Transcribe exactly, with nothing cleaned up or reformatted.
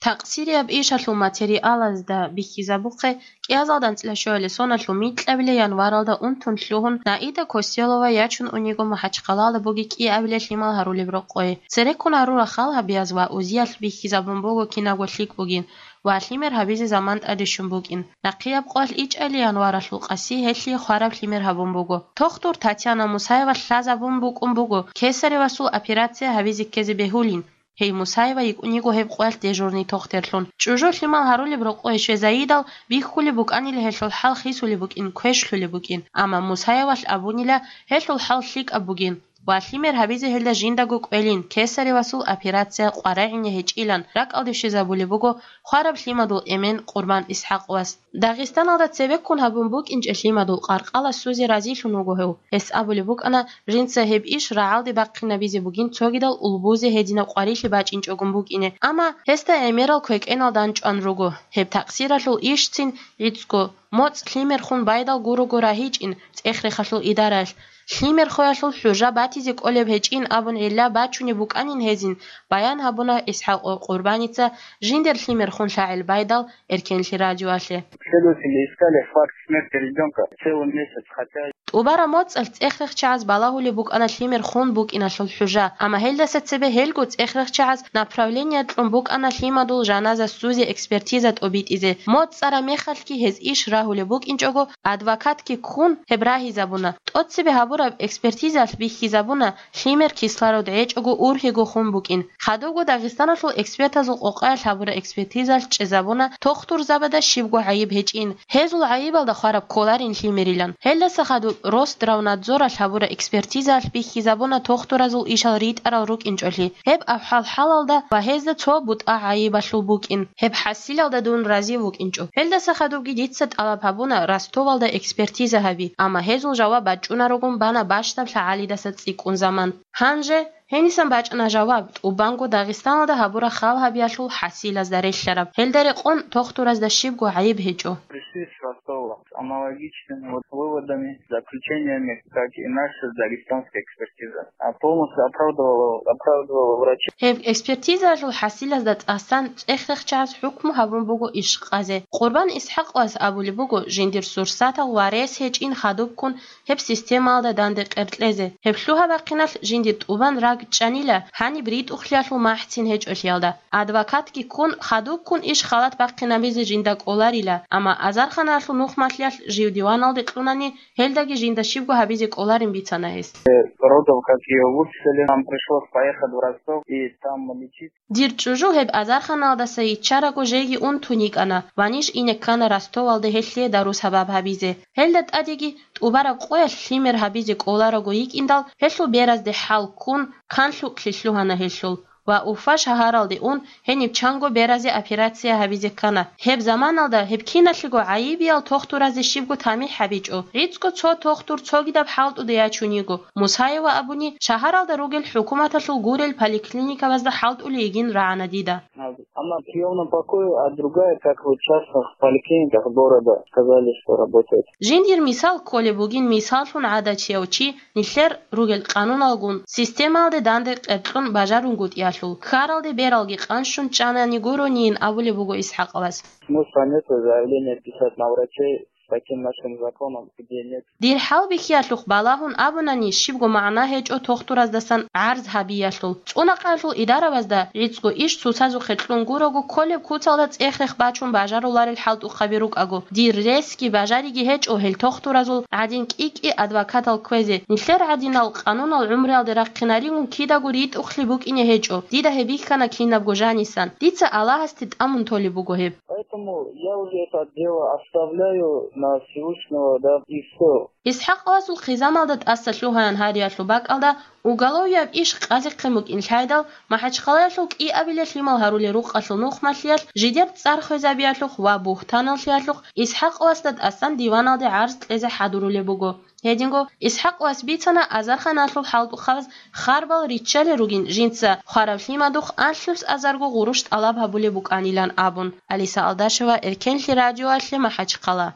Такъсирияб ишалъул материалазда бихьизабухъе, кӀиазалда анцӀила щуялъе соналъул микьабилеб январалда унтун лъугьун, Наида Костелова ячун униго МахӀачхъалаялда бугеб кӀиабилеб лъимал гьарулеб рокъое. Цереккун гьарурал хал гьабиялъ ва узиялъ бихьизабун буго кинабго лъикӀ бугин ва лъимер гьабизе заман тӀадищун букӀин. Нахъияб къоялъ ичӀайилан январалъул къаси гьелъие хвараб лъимер гьабун буго. Тохтур Татьяна Мусаева лъазабун букӀун буго кесаревасул операция гьабизе ккезе бегьулин. Гьей Мусаева йикӀун йиго гьеб къоялъ дежурный тохтерлъун. ЧӀужу лъимал гьарулеб рокъое щвезайидал бихьулеб букӀанила гьелъул хӀал хисулеб букӀин, квешлъулеб букӀин, амма Мусаевалъ абунила гьелъул хӀал лъикӀаб бугин ва лъимер гьабизе гьелда жиндаго кӀвелин, кесаревасул операция къваригӀине гьечӀилан ракӀалде щвезабулеб буго хвараб лъимадул эмен Къурбан ИсхӀакъовас. Дагъистаналда цебеккун гьабун букӀинчӀеб лъимадул къаркъала сузе разилъун вуго гьев. Гьес абулеб букӀана, жинца гьеб иш рагӀалде бахъинабизе бугин цогидал улбузе гьединаб къварилъи бачӀинчӀогун букӀине, амма гьесда гӀемерал квекӀенал данчӀван руго. Гьеб такъсиралъул ишцин гӀицӀго, моцӀ лъимерхун байдал гурого рагьичӀин цӀех-рехалъул идараялъ, лъимерхоялъул хӀужа батизе кӀолеб гьечӀин абун гӀилла бачунеб букӀанин гьезин, баян гьабуна ИсхӀакъов Къурбаница жиндир лъимерхун лъагӀел байдал Эркенлъи радиоялъе. Следователи искали факт смерти ребёнка целый месяц, хотя... ТӀубараб моцӀалъ цӀех-рехчагӀаз балагьулеб букӀана лъимер хун букӀиналъул хӀужа, амма гьелдаса цебе гьелго цӀех-рехчагӀаз направление кьун букӀана лъимадул жаназа сузе экспертиза тӀобитӀизе. МоцӀ цӀараб мехалъги гьез иш рагьулеб букӀинчӀого, адвокатги ккун гьеб рагьизабуна. ТӀоцебе гьабураб экспертизаялъ бихьизабуна, лъимер кислород гьечӀого ургьиго хун букӀин. Хадубго Дагъистаналъул экспертазул къокъаялъ гьабураб экспертизаялъ чӀезабуна тохтурзабазда щибго гӀайиб гьечӀин. Гьезул гӀайибалда хвараб кколарин лъимерилан. Гьелдаса хадуб Росздравнадзоралъ гьабураб экспертизаялъ бихьизабуна тохтуразул ишал ритӀарал рукӀинчӀолъи. Гьеб ахӀвал-хӀалалда ва гьезда цо бутӀа гӀайибалъул букӀин. Гьеб хӀасилалда дун разив вукӀинчӀо. Гьелдаса хадубги дица тӀалаб гьабуна Ростовалда экспертиза гьаби, амма гьезул жаваб бачӀунарогун бана бащдаб лъагӀалидаса цӀикӀкӀун заман. Гьанже гьенисан бачӀана жаваб, тӀубанго Дагъистаналда гьабураб хал гьабиялъул хӀасилазда релълъараб. Гьелда рекъон тохтуразда щибго гӀайиб гьечӀо. Пришли с Ростова с аналогичными вот выводами, заключениями, как и наша дагестанская экспертиза. А полностью оправдывала, оправдывала врачей. Гьеб экспертизаялъул хӀасилазда тӀасан цӀех-рехчагӀаз хӀукму гьабун буго иш къазе. Къурбан ИсхӀакъовас абулеб буго, жиндир сурсатал ва рес гьечӀин хадубккун гьеб системалда данде къеркьезе. Гьеб лъугьа-бахъиналъ жиндир тӀубан ракӀчӀанила, гьаниб ритӀухълъиялъул махӀцин гьечӀолъиялда. Адвокатги ккун, хадубккун иш халат бахъинабизе жинда кӀоларила, амма азарханалъул нухмалъиялъ жив диваналде кьунани, гьелдаги жинда щибго гьабизе кӀоларин бицана гьес. Родов, как её выписали, нам пришлось поехать в Ростов и там лечить. Дир чӀужу гьеб азарханалдаса йиччараго жеги унтун йикӀана ва ниж ине ккана Ростовалде гьелъие дару-сабаб гьабизе. Гьелда тӀадеги тӀубараб къоялъ лъимер гьабизе кӀолараго йикӀиндал, гьелъул беразде хӀал ккун, канлъукълъи лъугьана гьелъул ва Уфа шагьаралде ун, гьениб чанго беразе операция гьабизе ккана. Гьеб заманалда гьеб киналъего гӀайибиял тохтуразе щибго тамихӀ гьабичӀо. ГӀицӀго цо тохтур цогидаб хӀалтӀуде ячун йиго. Мусаева абуни, шагьаралда ругел хӀукуматалъул гурел поликлиникабазда хӀалтӀулей йигин рагӀана дида. Одна в приёмном покое, а другая, как вот в частных поликлиниках города, сказали, что работает. Жиндир мисал кколеб бугин, мисаллъун гӀадатияв чи, нилъер ругел къануналгун, системалде данде къеркьун бажарунгутӀиялъул, ккаралде бералги къанщун чӀанани гуронийин абулеб буго ИсхӀакъовас. Смысла нету заявление писать на врачей с таким нашим законом, где нет. Дир хӀалбихьиялъухъ балагьун абунани, щибго магӀна гьечӀо тохтураздасан гӀарз гьабиялъул. ЦӀунахъаялъул идарабазда гӀицӀго иш цоцазухъе кьун гурого, кколеб куцалда цӀех-рех бачун бажаруларел хӀалтӀухъаби рукӀаго. Дир ресги бажариги гьечӀо гьел тохтуразул гӀадин кӀи-кӀи адвокатал кквезе. Нилъер гӀадинал къанунал гӀумруялде рахъинаригун кидаго ритӀухълъи букӀине гьечӀо. Дида гьеб бихьана кинабго жанисан. Дица Аллагьасде тӀамун толеб буго гьеб. Поэтому я уже это дело оставляю на Всевышнего, да, и всё. ИсхӀакъовасул хъизамалда тӀаса лъугьаян гьариялъул бакӀалда уголовияб иш къазехъин букӀин лъайдал, МахӀачхъалаялъул кӀиабилеб лъимал гьарулел рукъалъул нухмалъиялъ жидер цӀар хвезабиялъухъ ва бугьтаналлъиялъухъ ИсхӀакъовасда тӀасан диваналде гӀарз кьезе хӀадурулеб буго. Гьединго ИсхӀакъовас бицана азарханалъул хӀалтӀухъабаз харбал риччалел ругин жинца хвараб лъимадухъ анлънус азарго гъурущ тӀалаб гьабулеб букӀанилан абун. Алиса Алдашева, Эркенлъи радиоялъе, МахӀачхъала.